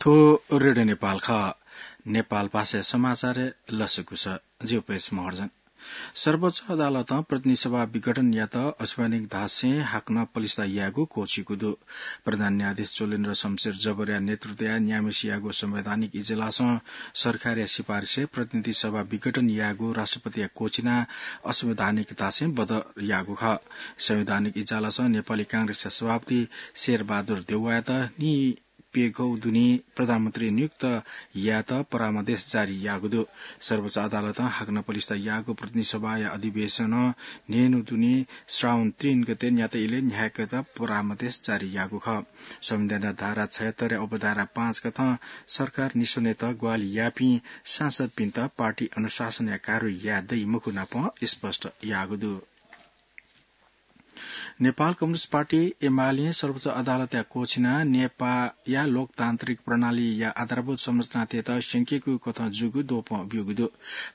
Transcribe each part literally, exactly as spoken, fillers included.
ओ रेडियो नेपाल खः। नेपाल भाषा समाचार लसकुस। ज्यू पेश महर्जन। सर्वोच्च अदालतं प्रतिनिधि सभा विघटन यात असंवैधानिक धासें हाकनं पलिस्था यायेगु क्वःछिकू दु। प्रधान न्यायाधीश चोलेन्द्र शमशेर जबरया नेतृत्वया न्याम्हेसियागु संवैधानिक इजलासं सरकारया सिफारिसय् प्रतिनिधि सभा विघटन यायेगु राष्ट्रपतिया क्वःछिना असंवैधानिक धासें बदर याःगु खः। संवैधानिक इजलासं नेपाली कांग्रेसया सभापति शेरबहादुर देउवायात नि प्यघौ दुने प्रधानमन्त्री नियुक्त यायेत परामर्श जारी याःगु दु। सर्वोच्च अदालतं हाकनं पलिस्था याःगु प्रतिनिधि सभाया अधिवेशनं न्हय्न्हु दुने श्रावण तीन गते न्यात इलय् न्ह्याकेत परामर्श जारी याःगु खः। संविधानया धारा छयहत्तरया उपधारा पाँच कथं सरकार निस्वनेत ग्वाहालि याःपिं सांसदपिन्त पार्टी अनुशासनया कारवाही याये दइ मखु नापं स्पष्ट याःगु दु। नेपाल कम्युनिस्ट पार्टी एमालें सर्वोच्च अदालतया क्वःछिनाः नेपाःया लोकतान्त्रिक प्रणालीया आधारभूत संरचनातय्त स्यंकीगु कथं जूगु द्वपं ब्यूगु दु।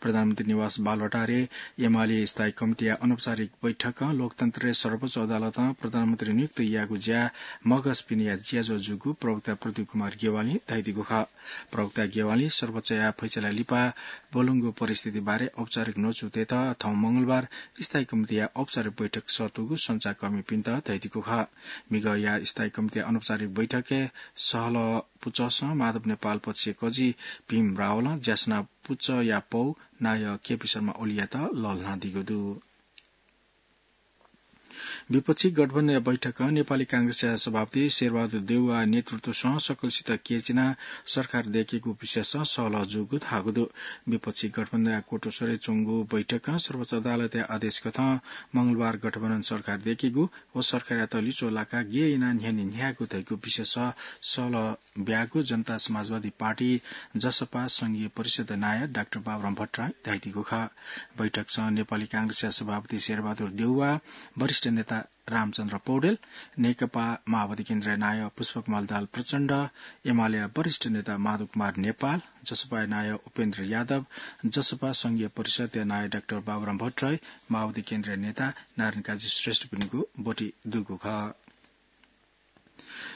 प्रधानमन्त्री निवास बालुवाटारय् एमाले स्थायी कमिटीया अनौपचारिक बैठकं लोकतन्त्रय् सर्वोच्च अदालतं प्रधानमन्त्री नियुक्त याःगु ज्या मगसपिनिया ज्याझ्वः जूगु प्रवक्ता प्रदीप कुमार ज्ञवालीं धयादीगु खः। प्रवक्ता ज्ञवालीं सर्वोच्चया फैसला लिपा ब्वलंगु परिस्थिति बारे औपचारिक न्वचु तयेत थौं मंगलबार स्थायी कमिटीया औपचारिक बैठक सःतूगु सञ्चारकर्मीपिन्त धयादीगु खः। मिगःया स्थायी कमिटीया अनौपचारिक बैठकय् सहलह पुचःसं माधव नेपाल पक्षया कजि भीम रावलं ज्यासना पुचःया पौ नायः केपी शर्मा ओलीयात लःल्हानादीगु दु। विपक्षी गठबन्धनया बैठकं नेपाली कांग्रेसया सभापति शेरबहादुर देउवा नेतृत्वसं सकलसित क्यःछिनाः सरकार दयेकेगु विषयसं सहलह जूगु धाःगु दु। विपक्षी गठबन्धनया क्वतुस्वरय् च्वंगु बैठकं सर्वोच्च अदालतया आदेश कथं मंगलबार गठबन्धन सरकार दयेकेगु व सरकारयात लिच्वः लाकाः गय् यानाः न्ह्यःने न्ह्यायेगु धइगु विषयसं सहलह ब्यागु जनता समाजवादी पार्टी, जसपा, संघीय परिषद नायः डाक्टर बाबुराम भट्टराईं धयादीगु खः। बैठकसं नेपाली कांग्रेसया सभापति शेरबहादुर देउवा, वरिष्ठ नेता रामचन्द्र पौडेल, नेकपा माओवादी केन्द्रया नायः पुष्पकमल दाहाल प्रचण्ड, एमालेया वरिष्ठ नेता माधव कुमार नेपाल, जसपाया नायः उपेन्द्र यादव, जसपा संघीय परिषदया नायः डाक्टर बाबुराम भट्टराई, माओवादी केन्द्रया नेता नारायण काजी श्रेष्ठपिनिगु ब्वति दुगु खः।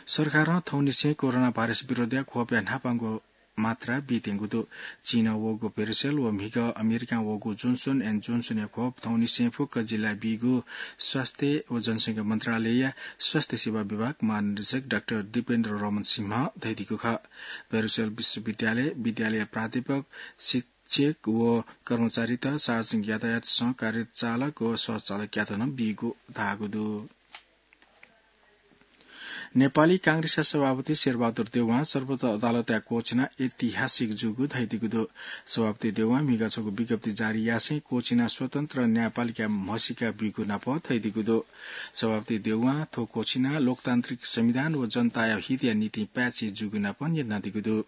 सरकारं थौंनिसें कोरोना भाइरस विरुद्धया खोपया न्हापांगु मात्रा बीत्यंगु दु। चीनं वःगु भेरिसेल व म्हिगः अमेरिकां वःगु जोन्सन एन्ड जोन्सनया खोप थौंनिसें फुक्क जिल्लाय् बीगु स्वास्थ्य व जनसंख्या मन्त्रालयया स्वास्थ्य सेवा विभाग महानिर्देशक डाक्टर दीपेन्द्र रमन सिंहं धयादीगु खः। भेरिसेल विश्वविद्यालय, विद्यालय प्राध्यापक, शिक्षक व कर्मचारीत, सार्वजनिक यातायातसं कार्यरत चालक व सहचालकयात नं बीगु धाःगु दु। नेपाली कांग्रेसया सभापति शेरबहादुर देउवां सर्वोच्च अदालतया क्वःछिना ऐतिहासिक जूगु धयादीगु दु। सभापति देउवां म्हिगः छगू विज्ञप्ति जारी यासें क्वःछिना स्वतन्त्र न्यायपालिका म्हसीका बीगु नाप धयादीगु दु। सभापति देउवां थ्व क्वःछिना लोकतान्त्रिक संविधान व जनताया हितया निंतिं पाय्छि जूगु नाप न्ह्यथनादीगु दु।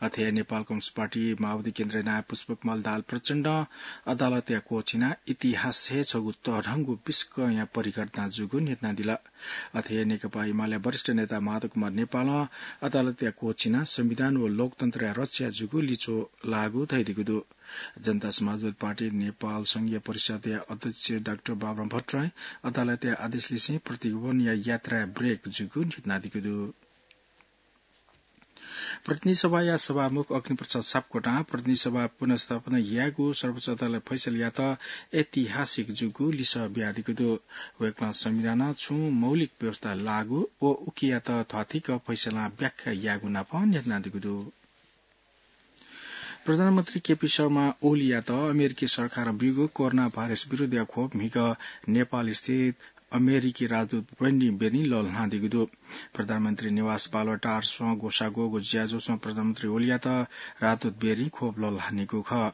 अथे हे नेपाल कम्युनिस्ट पार्टी माओवादी केन्द्रया नायः पुष्पकमल दाहाल प्रचण्डं अदालतया क्वःछिना इतिहास हे छगू तःधंगु बिस्कंया परिघटना जूगु न्ह्यथनादिल। अथे हे नेकपा एमालेया वरिष्ठ नेता माधव कुमार नेपालं अदालतया क्वःछिना संविधान व लोकतन्त्रया रक्षा जूगु लिच्वः लाःगु धयादीगु दु। जनता समाजवादी पार्टी नेपाल संघीय परिषदया अध्यक्ष डाक्टर बाबुराम भट्टराईं अदालतया आदेशलिसें प्रतिभवनया यात्राय् ब्रेक जूगु न्ह्यथनादीगु दु। प्रतिनिधि सभाया सभामुख अग्निप्रसाद सापकोटां प्रतिनिधि सभा पुनर्स्थापना यायेगु सर्वोच्च अदालतया फैसलायात ऐतिहासिक जूगु लिसः बियादीगु दु। वय्कलं संविधानं छुं मौलिक व्यवस्था लागू व उकियात थ्वाथिक फैसलां व्याख्या यायेगु नाप न्ह्यथनादीगु दु। प्रधानमन्त्री केपी शर्मा ओलीयात अमेरिकी सरकारं ब्यूगु कोरोना भाइरस विरुद्धया खोप म्हिगः नेपालस्थित अमेरिकी राजदूत ब्रेन्डी बेरीं लःल्हानादीगु दु। प्रधानमन्त्री निवास बालुवाटारसं ग्वसाः ग्वःगु ज्याझ्वलय् प्रधानमन्त्री ओलीयात राजदूत बेरीं खोप लःल्हानीगु खः।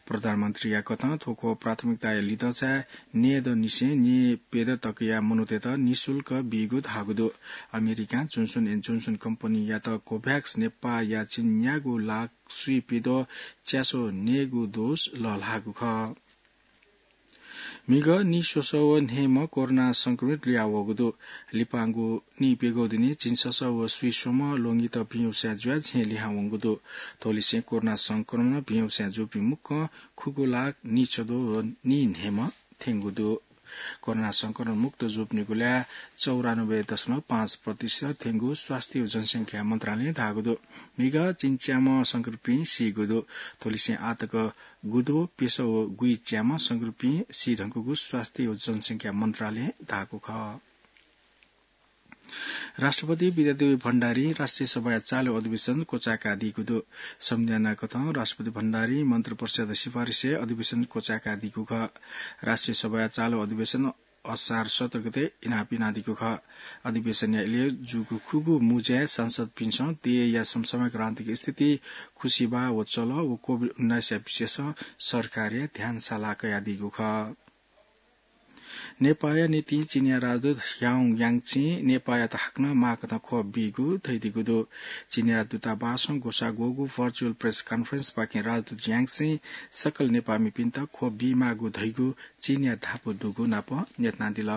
प्रधानमन्त्रीया कथं थ्व खोप प्राथमिकताया लिधंसाय् न्यय्दँनिसें न्यय्प्यदँ तकया मनूतय्त निशुल्क बीगु धाःगु दु। अमेरिकां जोन्सन एन्ड जोन्सन कम्पनीयात कोभ्याक्स नेपाःया चिन्यागू लाख स्वीप्यद्वः च्यासः नयेगू डोज लःल्हाःगु खः। म्हिगः नीस्वसः व न्हय्म्ह कोरोना संक्रमित लुयावःगु दु। लिपांगु नीप्यघौ दिने झिंछसः व स्वीस्वम्ह ल्वंगित भिंवस्यां जुयाः झें लिहां वंगु दु। थ्वलिसें कोरोना संक्रमणं भिंवस्यां जूपिं मुक्कं खुगू लाख नीछद्वः व नीन्हय्म्ह थ्यंगु दु। कोरोना संक्रमण मुक्त जूपिनिगु ल्याः चौरानब्बे दशमलव पाँच प्रतिशत थेंगु स्वास्थ्य व जनसंख्या मन्त्रालयं धाःगु दु। म्हिगः चिन्च्याम्ह संक्रमितपिं सीगु दु। थ्वलिसें आःतक गुदो प्यसः व गुइच्याम्ह संक्रमितपिं सी धुंकूगु स्वास्थ्य व जनसंख्या मन्त्रालयं धाःगु खः। राष्ट्रपति विद्यादेवी भण्डारीं राष्ट्रिय सभाया चालु अधिवेशन क्वचाय्कादीगु दु। संविधानकथं राष्ट्रपति भण्डारीं मन्त्रिपरिषद सिफारिसय् अधिवेशन क्वचाय्कादीगु खः। राष्ट्रिय सभाया चालु अधिवेशन असार सत्र गते इनाप यानादीगु खः। अधिवेशनया इलय् जूगु खुगू मुँज्याय् सांसदपिन्सं देय्‌या समसामयिक राजनीतिक स्थिति, खुसिबाः व चलः व कोभिड उन्नाइसया विषयसं सरकारया ध्यान साला कयादीगु खः। नेपाःया निंतिं चीनया राजदूत ह्याओ याङचिं नेपाःयात हाकनं माःकथं ख्वप बीगु धयादीगु दु। चीनया दूतावासं ग्वसाः ग्वःगु virtual press conference पाखें राजदूत याङचिं सकल नेपाःमिपिन्त ख्वप बीमाःगु धइगु चीनया धापू दुगु नाप न्ह्यथनादिल।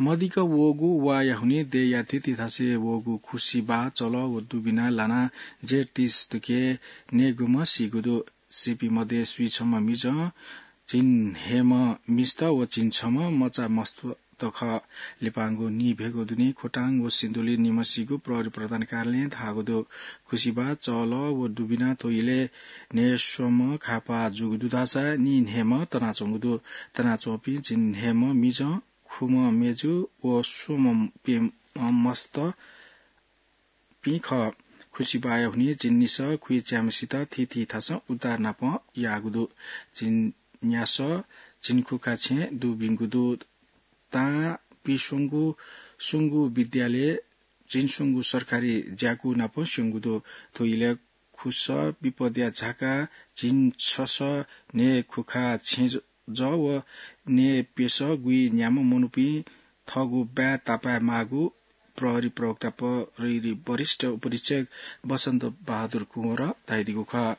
मदिक्क वःगु वाःया हुनिं देय्‌या थीथी थासय् वःगु खुसिबाः, चलः व दुबिना लानाः जेठ तीस तुके न्यय्‌गूम्ह सीगु दु। सीपिं मध्ये स्वीछम्ह मिजं, झिंन्हय्‌म्ह मिस्त व झिंछम्ह मचा मस्त खः। लिपांगु नीभ्यगु दुने खोटाङ व सिन्धुली निम्ह सीगु प्रहरी प्रधान कार्यालयं धाःगु दु। खुसिबाः, चलः व दुबिना थ्व इलय् न्हय्‌स्वम्ह घाःपाः जूगु दु धाःसा नीन्हय्‌म्ह तनाच्वंगु दु। तनाच्वंपिं झिंन्हय्‌म्ह मिजं, खुम्ह मेजु व स्वम्ह प्यम्ह मस्त पिं खः। खुसिबाःया हुनिं झिंनिसः खुइच्याम्हसित थीथी थासं उद्धार नाप याःगु दु। झिंन्यासः झिंखुखा छेँ दुबिंगु दु। तां पिस्वंगु स्वंगू विद्यालय, झिंस्वंगू सरकारी ज्याकू नाप स्यंगु दु। थ्व इलय् खुसः विपदया झाका झिंछसः न्हय्‌खुखा छेँ जः व न्हय्‌प्यसः गुइन्याम्ह मनूपिं थःगु बाय् तापाय् माःगु प्रहरी प्रवक्ता प्रहरी वरिष्ठ उपरीक्षक बसन्त बहादुर कुँवरं धयादीगु खः।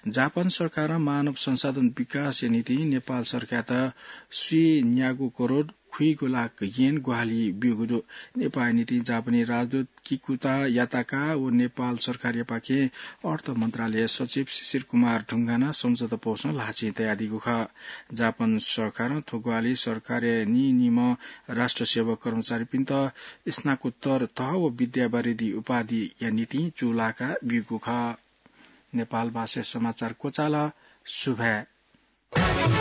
जापान सरकारं मानव संसाधन विकासया निंतिं नेपाल सरकारयात स्वीन्यागू करोड खुइगू लाख येन ग्वाहालि ब्यूगु दु। नेपाःया निंतिं जापानी राजदूत किकुता याताका व नेपाल सरकारयापाखें अर्थ मन्त्रालय सचिव शिशिर कुमार ढुङ्गानां सम्झौता पौसं ल्हाःचिं तयादीगु खः। जापान सरकारं थ्व ग्वाहालि सरकारया नीनिम्ह राष्ट्र सेवक कर्मचारीपिन्त स्नाकोत्तर तह व विद्यावारिधि उपाधिया निंतिं चूलाका ब्यूगु खः। नेपाल भाषाय् समाचार क्वचाल। सुभाय्।